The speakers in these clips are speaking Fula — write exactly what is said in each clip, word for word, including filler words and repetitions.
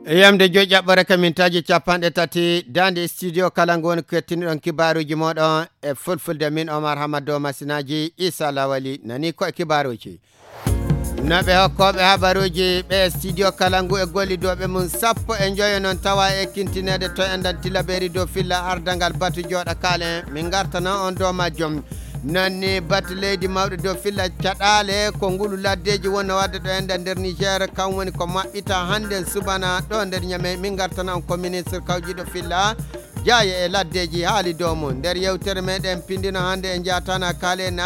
Yamde joyi ƴaɓɓore ka mintaaji capanɗe tati, daande studio kala ngu woni kettiniɗon kibaaruuji mooɗon e fulfulde. Min Omar Hamad Dow masinaaji, Isa Lawali nani ko e kibaaruuji. No ɓe hokkooɓe habaruuji ɓe studio kala ngu e gollidooɓe mum sappo e njoyo noon tawa e ekkintineede to enɗan tilabeeri dow filla ardangal batu jooɗa kaalen. Min ngartana on dow majjum. Noon ni batu leydi mawɗo dow filla caɗaale ko ngulu laddeeji wonno wadde ɗo enɗan nder Niger, kam woni ko maɓɓita hannden subana ɗo nder Ñamey. Min ngartana on ko ministre kawjiiɗo filla jaaye e laddeeji haali dow mum. Nder yewtere meɗen pindino hannde e njaatana kaalen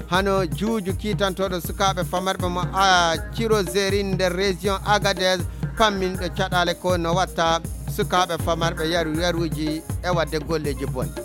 hano juuju kiitantooɗo sukaaɓe famarɓe mo a Cirozerin nder région Agadez pamminɗo caɗaale ko no watta sukaaɓe famarɓe yaru yaruuji e wadde golleeji bonɗi.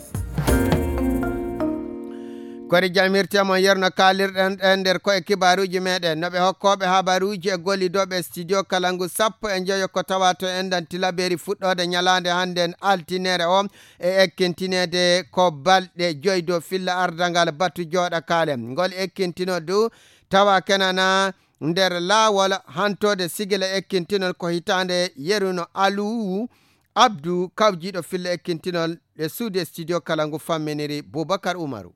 Kori jamirte mon yerno kaalirɗen ɗen nder koye kibaaruuji meɗen. No ɓe hokkooɓe habaruuji e gollidooɓe studio kala ngu sappo e njoyo ko tawa to enɗan tilabeeri fuɗɗoode ñalaande hannden altinere o e ekkintineede ko balɗe joyi dow filla ardangal batu jooɗa kaalen. Ngol ekkintino du tawa kenana nder laawol hantoode sigila ekkintinol ko hitaande yeruno Aluwu Abdu kawjiiɗo filla ekkintinol e suudu e studio kala ngu famminiri Bubakar Umaru.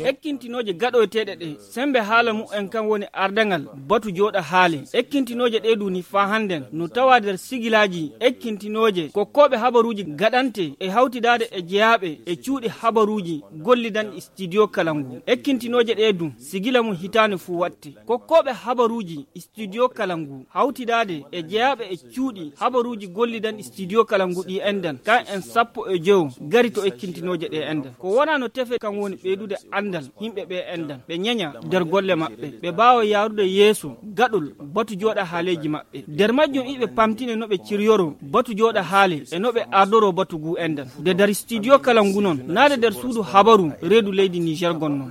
Ekkintinooje gaɗoyteeɗe ɗe, sembe haala mumen kan woni ardangal batu jooɗa haale. Ekkintinooje ɗe duni faa hannden no tawa nder sigilaaji ekkintinooje kokkooɓe habaruuji gaɗante e hawtidaade e jeyaaɓe e cuuɗi habaruuji gollidanɗi studio kala ngu. Ekkintinooje ɗe du sigila mum hitaande fuu waɗte. Kokkooɓe habaruuji studio kala ngu hawtidaade e jeyaaɓe e cuuɗi habaruuji gollidanɗi studio kala ngu ɗi enɗan kan en sappo e joyo gari to ekkintinooje ɗe enɗan. Ko wonaa no tefe kan woni ɓeydude anndal yimɓe ɓe enɗan, ɓe ñeña nder golle maɓɓe, ɓe mbaawa yaarude yeeso gaɗol batu jooɗa haaleeji maɓɓe. Nder majjum iɓe pamtine no ɓe ciryoro batu jooɗa haale e no ɓe ardoro batu ngu enɗan. Nde nder studio kala ngu noon, naade nder suudu habaru reedu leydi Niger gonno.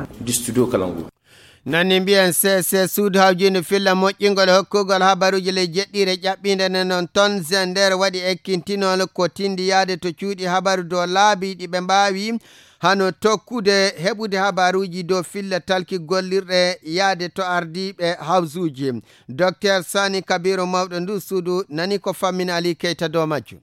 Nanni mbiyen C C suudu hawjiindu filla moƴƴingol e hokkugol habaruuji ley jeɗɗiire ƴaɓɓiinde nden noon toon Zender waɗi ekkintinol ko tindi yaade to cuuɗi habaru dow laabi ɗi ɓe mbaawi hano tokkude heɓude habaruuji dow filla talki gollirɗe yaade to ardiiɓe hawsuuji. Docteur Sani Kabiru mawɗo ndu suudu nani ko fammina Ali Keita dow majjum.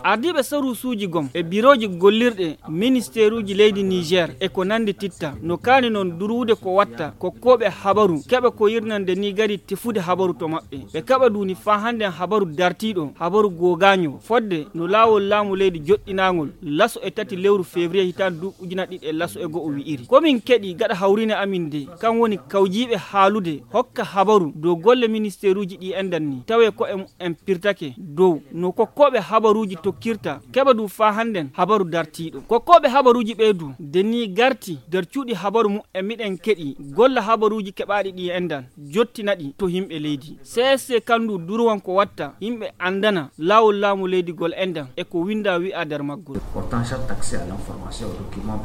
Ardiiɓe saruusuuji gom e birooji gollirɗe ministeeruuji leydi Niger e ko nanndi titta no kaani noon durwude ko watta kokkooɓe habaru keɓa ko yirnande ni gari tefude habaru to maɓɓe. Ɓe kaɓa duuni faa hannden habaru dartiiɗo, habaru googaanyo, fodde no laawol laamu leydi joɗɗinaangol laso e tati lewru février hitaande duuɓi ujunaaji ɗiɗi e laso e go'o wi'iri. Ko min keɗi gaɗa hawriine amin de, kan woni kawjiiɓe haalude hokka habaru dow golle ministeeruuji ɗi enɗan ni, tawe ko e en pirtake dow no kokkooɓe habaruuji tokkirta, keɓa du faa hannden habaru dartiiɗo. Kokkooɓe habaruuji ɓee du, de ni garti nder cuuɗi habaru mum e miɗen keɗi golla habaruuji keɓaaɗi ɗi enɗan, jottina ɗi to yimɓe leydi. C S C kan du durwan ko watta yimɓe anndana laawol laamu leydi gol enɗan e ko winnda wi'a nder maggol. Portant chaque taxe à l'information au document.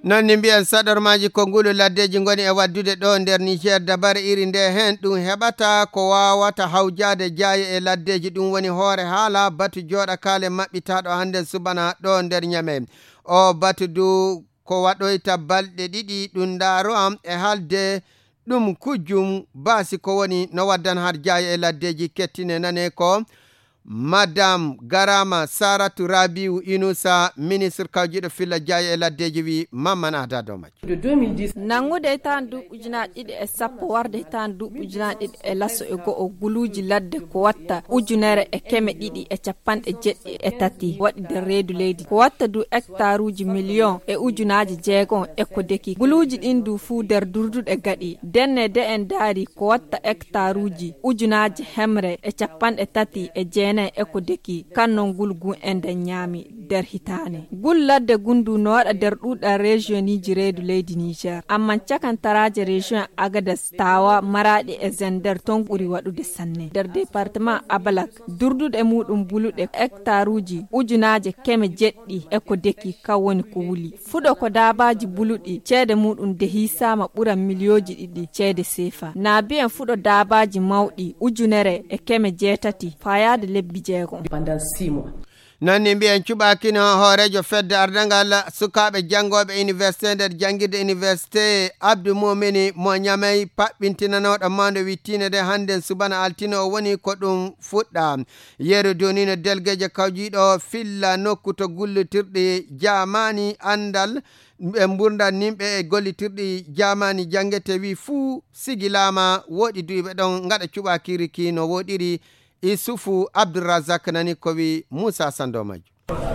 Noon ni mbiyen saɗormaaji ko ngulu laddeeji ngoni e waddude ɗo nder Niger. Dabare iri nde heen ɗum heɓata ko waawata hawjaade jaaye e laddeeji. Ɗum woni hoore haala batu jooɗa kaale maɓɓitaaɗo hannde subana ɗo nder Ñamey. O batu du ko waɗoyta balɗe ɗiɗi ɗum ndaaro am e haalde ɗum kujjum baasi ko woni no waddan har jaaye e laddeeji kettine nane ko Madame Garama Saratu Rabiu Inusa, ministre kawjiiɗo filla jaaye e laddeeji wi Mamman Ada dow majjum. Nanngude hitaande duuɓi ujunaaji ɗiɗi e sappo warde hitaande duuɓi ujunaaji ɗiɗi e laso e go'o guluuji ladde ko watta ujunere e keme ɗiɗi e capanɗe jeɗɗi e tati waɗi nder reedu leydi. Ko watta du hectaruuji miliyon e ujunaaji jeegom e ko deki. Guluuji ɗin du fuu nder durduɗe gaɗi. Denne de en daari ko watta hectaruuji ujunaaji hemre e capanɗe tati e jeenayi e ko deki. Kan non ngulgu en nden ñaami nder hitaane. Ngul ladde ngun du no waɗa nder ɗuuɗal regioniji reedu leydi Niger. Amman cakantaraaje region Agadez, Tawa, Maraɗi e Zender ton ɓuri waɗude sanne. Nder département Abalak, durduɗe muɗum buluɗe hectaruji ujunaaje keme jeɗɗi e ko deki kan woni ko wuli. Fuɗo ko daabaaji buluɗi, ceede muɗum de hiisaama ɓura miliyooji ɗiɗi ceede seefa. Naabiyen fuɗo daabaaji mawɗi ujunere e keme jeetati faayaade lebbi jeegom. Pendant six mois. Noon ni mbiyen cuɓaakino hooreejo fedde ardangal sukaaɓe janngooɓe université nder janngirde université Abdou Moumini mo Ñamey, paɓɓintinanooɗo mawndo wittiinde nde hannden subana altine o woni ko ɗum fuɗɗa. Yeru donino delgeejo kawjiiɗo filla nokku to gullitirɗi jaamaani anndal e mburdan nimɓe e gollitirɗi jaamaani janngete wi fuu sigilaama, woɗi duyɓe ɗon ngaɗa cuɓaakiri ki no woɗiri. Isufu Abdourazak nani ko wi Moussa Sando Majju.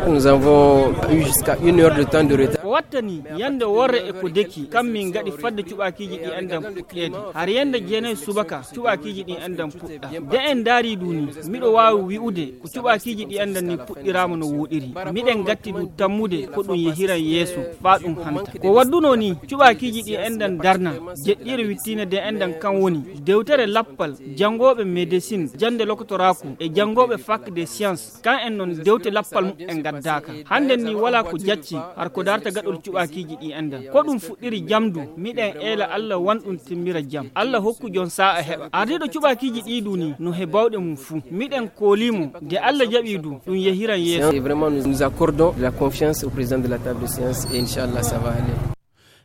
Nous avons eu jusqu'à une heure de temps de retard. Ko wattani yande worre e ko deki kam min gaɗi fadde cuɓakiiji ɗi enɗan puɗɗeede. Har yande jeenayi subaka cuɓakiiji ɗi enɗan puɗɗa. De en ndaari du ni, miɗo waawi wi'ude ko cuɓakiiji ɗi enɗan ni puɗɗiraama no wooɗiri. Miɗen gatti du tammude ko ɗum yehiran yeeso faa ɗum hanta. Ko waddunoo ni cuɓakiiji ɗi enɗan darna, jeɗɗiire wittiinde de enɗan kan woni dewtere lappal janngooɓe médecine, jannde lokotoraaku e janngooɓe fac des sciences. Kan en noon dewte lappal muɓɓen ngaddaaka. Hannden ni walaa ko jacci har ko darta gaɗol cuɓakiiji ɗi enɗan. Ko ɗum fuɗɗiri jam du, miɗen eela Alla wan ɗum timmira jam. Alla hokku jon saa'a heɓa. Ardiiɗo cuɓakiiji ɗi du ni no he bawɗe mum fuu. Miɗen koolii mo, de Alla jaɓii du, ɗum yehiran yeeso. Et vraiment, nous nous accordons de la confiance au président de la table de science et Inch'Allah, ça va aller.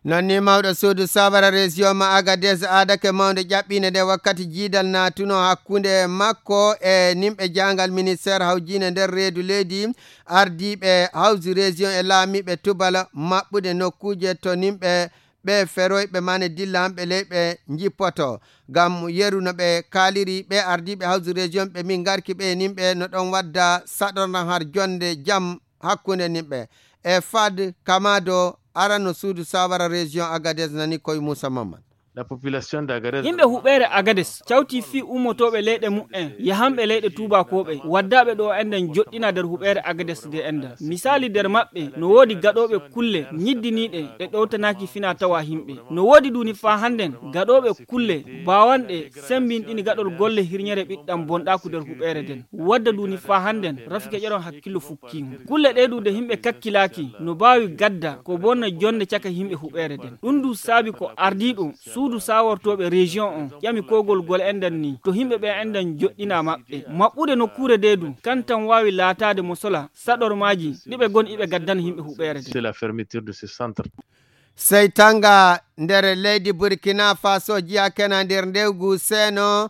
Noon ni mawɗo suudu sawara région ma Agadez aadake mawnde ƴaɓɓiinde nde wakkati jiidal naatuno hakkunde makko e nimɓe jaangal ministère hawjiinde nder reedu leydi, ardiiɓe hawsi région e laamiiɓe tubal maɓɓude nokkuuje to nimɓe ɓe feroyɓe mane dilla hamɓe leyɓe njippoto. Ngam yeru no ɓe kaaliri ɓe ardiiɓe hawsi région ɓe min ngarki ɓe e nimɓe no ɗon wadda saɗornan har jonde jam hakkunde nimɓe. E fad kamado arano suudu sawara région Agadez nani koye Moussa Mamman. La population d'Agadez. Yimɓe huɓeere Agades cawti fii ummotooɓe leyɗe muɓɓen yahanɓe leyɗe tuubakooɓe waddaaɓe ɗo enɗen joɗɗina nder huɓeere Agades de enɗan. Misaali nder maɓɓe no woodi gaɗooɓe kulle ñiddiniiɗe ɗe ɗowtanaaki fina tawa yimɓe. No woodi duni faa hannden gaɗooɓe kulle baawanɗe sembinɗini gaɗol golle hirñere ɓiɗɗam bonɗaaku nder huɓeere nden. Wadda duni faa hannden rafi keƴeron hakkillo fukkiimo. Kulle ɗe du de yimɓe kakkilaaki no baawi gadda ko bonna jonde caka yimɓe huɓeere nden. Ɗum du saabi ko ardiiɗo suudu sawortooɓe région on ƴami kogol gol enɗan ni to yimɓe ɓe enɗan joɗɗina maɓɓe. Maɓɓude nokkuure de du kan tan waawi laataade mo sola saɗormaaji ɗi ɓe gon iɓe gaddana yimɓe huɓeere nden. C'est la fermeture de ce centre. Sey tanga nder leydi Burkina Faso jiya kena nder ndewgu seeno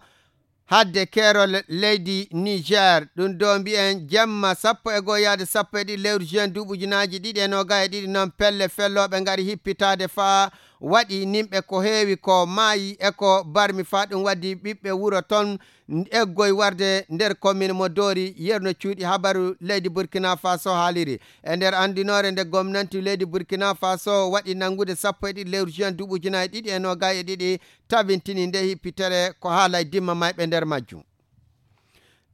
hadde keerol leydi Niger. Ɗum do mbi'en jemma sappo e goo yaade sappo e ɗiɗi lewru juin duuɓi ujunaaji ɗiɗi e noogay e ɗiɗi noon pelle fellooɓe ngari hippitaade faa waɗi nimɓe ko heewi ko maayi e ko barmi faa ɗum waddi ɓiɓɓe wuro toon eggoy warde nder commune mo Dori. Yerno cuuɗi habaru leydi Burkina Faso haaliri. E nder anndinoore nde gomnanti leydi Burkina Faso waɗi nanngude sappo e ɗiɗi lewru juin duuɓi ujunaaji ɗiɗi e noogay e ɗiɗi, tabintini nde hippitere ko haalay dimma mayɓe nder majjum.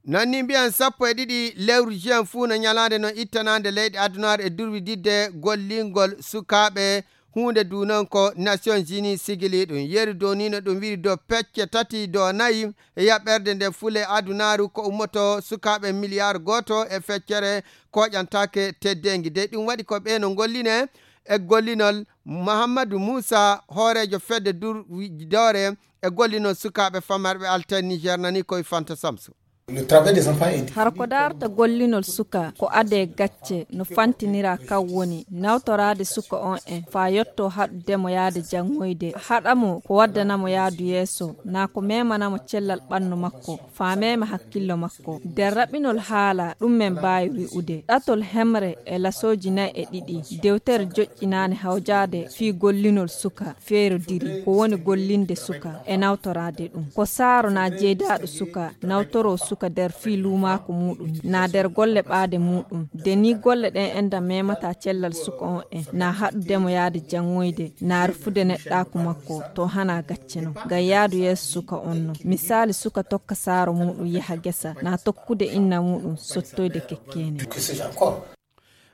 Noon ni mbiyan sappo e ɗiɗi lewru juin fuu no ñalaande no ittanaande leyɗe adunaare e durwididde gollingol sukaaɓe huunde du noon ko Nations Unies sigili ɗum. Yeru dow ni no ɗum wi'i dow pecce tati dow nayi e yaɓɓerde nde fule adunaaru ko ummoto sukaaɓe miliyar gooto e feccere koƴantaake teddeengi. De ɗum waɗi ko ɓe no ngolline e gollinol Muhammadu Muusa, hooreejo fedde durwidoore e gollinol sukaaɓe famarɓe Alten Niger nani koye Fanta Samsu. Le travail des enfants est Har ko daarta gollinol suka ko adee gacce no fantinira kan woni nawtoraade suka on en faa yotto haɗude mo yaade janngoyde, haɗa mo ko waddana mo yaadu yeeso, naa ko memana mo cellal ɓannu makko, faa mema hakkillo makko. Nder raɓɓinol haala ɗum men mbaawi wi'ude, ɗatol hemre e lasooji nay e ɗiɗi, dewtere joƴƴinaande hawjaade fii gollinol suka feerodiri, ko woni gollinde suka e nawtoraade ɗum. Ko saaro naa jeydaaɗo suka nawtoroo suka nder fii luumaaku muuɗum, naa nder golle ɓaade muuɗum. De nii golle ɗen enɗan memata cellal suka on en, naa haɗude mo yaade janngoyde, naa rufude neɗɗaaku makko, to hanaa gacce non. Ngam yaadu yeeso suka on non. Misaali suka tokka saaro muuɗum yaha gesa, naa tokkude inna muuɗum sottoyde kekkeene.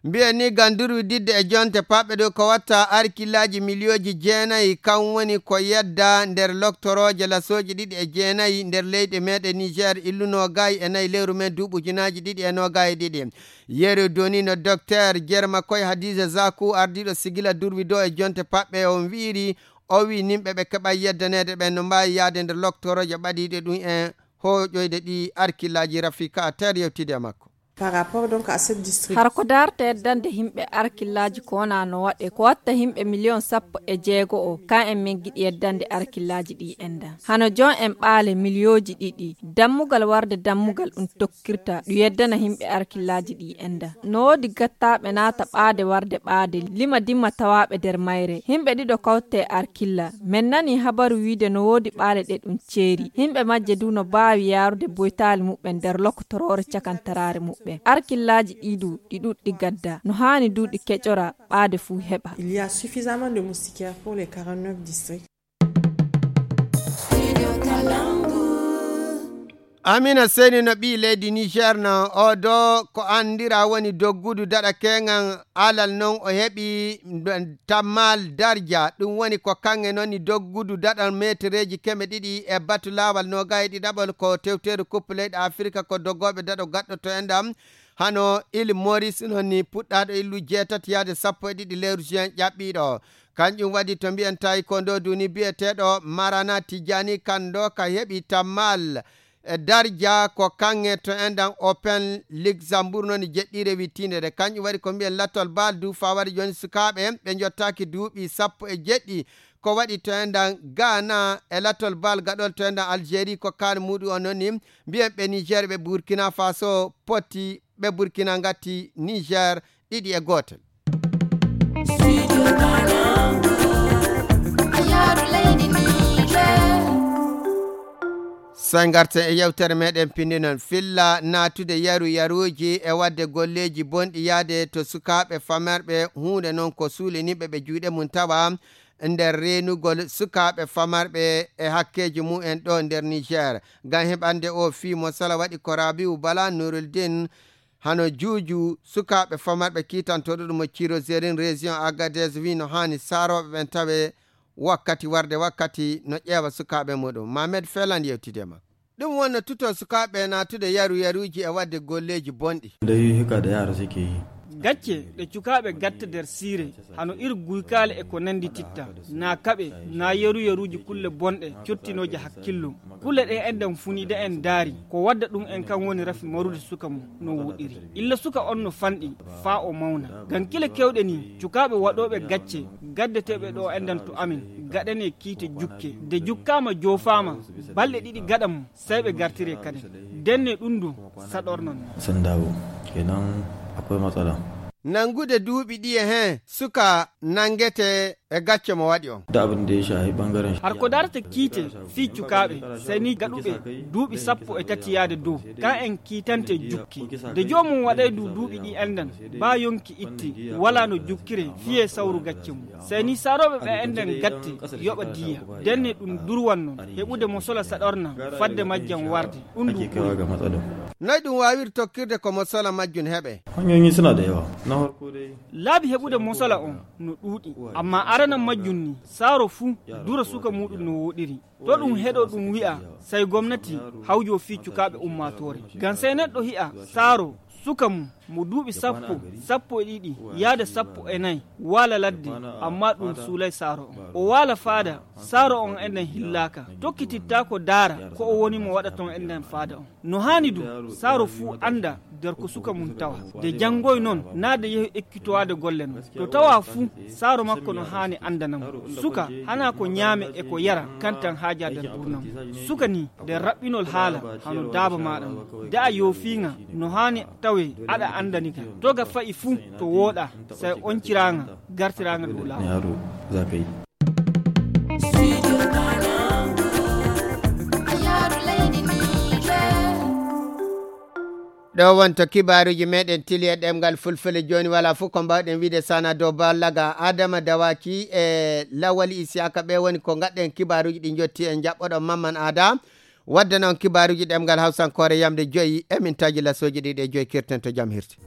Mbiyen ni ngam durwididde e jonte paɓɓe ɗo ko watta arkillaaji miliyooji jeenayi, kan woni ko yedda nder loktorooje lasooji ɗiɗi e jeenayi nder leyɗe meeɗen Niger illu noogay e nayi lewru men duuɓi ujunaaji ɗiɗi e noogay e ɗiɗi. Yeru doni no Dokteer Jerma Koy Hadiza Zaku, ardiiɗo sigila durwido e jonte paɓɓe on wi'iri, o wi'i nimɓe ɓe keɓay yeddaneede ɓen no mbaawi yaade nder loktorooje ɓadiiɗe ɗum en hooƴoyde ɗi arkillaaji Rafika Ter yewtidi e makko. Par rapport donc à cette district. Hara ko daarta yeddande yimɓe arkillaaji ko wonaa no waɗe, ko watta yimɓe miliyon sappo e jeego o, ka en min giɗi yeddande arkillaaji ɗi enda. Hano jon en ɓaale miliyooji ɗiɗi, dammugal warde dammugal ɗum tokkirta, ɗum yeddana yimɓe arkillaaji ɗi enda. No woodi gattaaɓe naata ɓaade warde ɓaade, lima dimma tawaaɓe nder mayre. Yimɓe ɗiɗo kawte e arkilla. Men nani habaru wiide no woodi ɓaale ɗe ɗum ceeri. Yimɓe majje du no baawi yaarude boytaali muɓɓen nder lokotoroore cakantaraare muɓɓen. Arkillaaji ɗi du, ɗi ɗuɗɗi gadda. No haani du ɗi keƴora ɓaade fuu heɓa. Il y a suffisamment de moustiquaires pour les quarante-neuf districts. Amina Seni no ɓii leydi Niger na o do ko anndira woni doggudu daɗa keŋan alal non o heɓi tammal darja. Ɗum woni ko kaŋŋe non ni doggudu daɗa metereeji keme ɗiɗi e batu laawal noga e ɗiɗaɓol ko tewteeru kuppu leyɗe Afirka ko doggooɓe daɗo gaɗɗoto en ɗam. Hano il Maurice non ni puɗɗaaɗo illu jeetati yaade sappo e ɗiɗi lewru juin ƴaɓɓiiɗo. Kanƴum waɗi to mbiyen tawi ko ndo duni biyeteeɗo Marana Tijani kan ɗo ka heɓi tammal e darja ko kaŋŋe to endan Open Luxembourg non jeɗɗiire wittiinde nde. Kanƴum waɗi ko mbiyen lattol bal du fawari jooni sukaaɓe ɓe jottaaki duuɓi sappo e jeɗɗi. Ko waɗi to endan Ghana e lattol bal gaɗol to endan Algérie ko kaani muɗum on non ni mbiyen ɓe Niger ɓe Burkina Faso potti ɓe Burkina ngatti Niger ɗiɗi e gootel. Soy ngarten e yewtere meɗen pinndi non filla naatude yaru yaruuji e waɗde golleeji bonɗi yaade to sukaaɓe famarɓe huunde non ko suuliniɓe ɓe juuɗe mum tawa nder reenugol sukaaɓe famarɓe e hakkeeji mumen ɗo nder Niger. Ngam heɓande o fii mo sala waɗi ko Rabiu Bala Nuruldin hano juuju sukaaɓe famarɓe kiitantooɗo ɗum mo Cirozerin région Agadez wi no haani saarooɓe ɓen tawe wakkati warde wakkati no ƴeewa sukaaɓe muɗum. Mamed Felan yewtide ma. Ɗum wonno tuto sukaaɓe naatude yaru yaruuji e waɗde golleeji bonɗi. Dai hika da yara suke yi. Gacce ɗe cukaaɓe gatta nder siire, hano iri guykaale e ko nandi titta, na kaɓe, na yaru yaruuji kulle bonɗe cottinooje hakkillo. Kulle ɗe enɗen funida en daari, ko wadda ɗum en kan woni rafi marude suka mum no wuɗiri. Illa suka on no fanɗi, faa o mawna. Ngam kile kewɗe ni, cukaaɓe waɗooɓe gacce, gaddeteeɓe ɗo enɗen to amin, gaɗane kiite jukke. Nde jukkaama joofaama, balɗe ɗiɗi gaɗa mum, sey ɓe gartire kaden. Denne ɗum du, saɗornan. Sandawo, kenan akwai matsala. Nangude duuɓi ɗi e heen, suka nangete e gacce mo waɗi on. Da abin da ya shahi ɓangaren. Har ko darata kiite fii cukaaɓe, sey ni gaɗuɓe duuɓi sappo e tati yaade dow, ka en kiitante jukke. Nde joomum waɗay du duuɓi ɗi enɗan, baa yonki itti, walaa no jukkire fiyee sawru gacce mum. Sey ni saarooɓe ɓe enɗan gatte yoɓa diya. Denne ɗum durwan non, heɓude mo sola saɗorna, fadde majjan warde. Ɗum du ake kaiwa ɓuri ga matsalar. Noy ɗum waawiri tokkirde ko mo sola majjum heɓe? Hanyoyi suna da yawa. Na farko dai. Laabi heɓude mo sola on no ɗuuɗi. Amma arana majjum ni, saaro fuu dura suka muɗum no woɗiri. To ɗum heɗo ɗum wi'a, sey gomnati hawjo fii cukaaɓe ummaatoore. Ngam sey neɗɗo hi'a saaro suka mum mo duuɓi sappo, sappo e ɗiɗi, yaade sappo e nayi, waala ladde, amma ɗum suulay saaro on. O waala faada, saaro on enen hillaaka. Tokkitittaako daara ko o woni mo waɗa ton enen faada on. No haani du, saaro fuu annda nder ko suka mum tawa. Nde janngoy non, naa nde yehi ekkitowaade golle non. To tawa fuu, saaro makko no haani anndana mo. Suka, hanaa ko ñaame e ko yara, kantan haaja nder ɓurnam. Suka ni, nder raɓɓinol haala, hano daaba maaɗa mo. Da'a yoofiiŋa, no haani tawe, aɗa anndani ka. To ga fa'i fuu, to wooɗa, sey onciraaŋa, gartiraaŋa dow laawol. Yaro, za ka yi. Ɗo wonto kibaaruuji meɗen tili e ɗemngal fulfulde. Jooni wala fof ko mbawɗen wiide sana dow ballaga Adama Dawaki e Lawali Isiyaka, ɓe woni ko ngaɗɗen kibaaruuji ɗi jotti en jaɓɓoɗo Mamman Ada. Wadde noon kibaaruuji ɗemngal hawsankoore yamde joyi, emin taji lasooji ɗiɗi e joyi, kirten to jam hirti.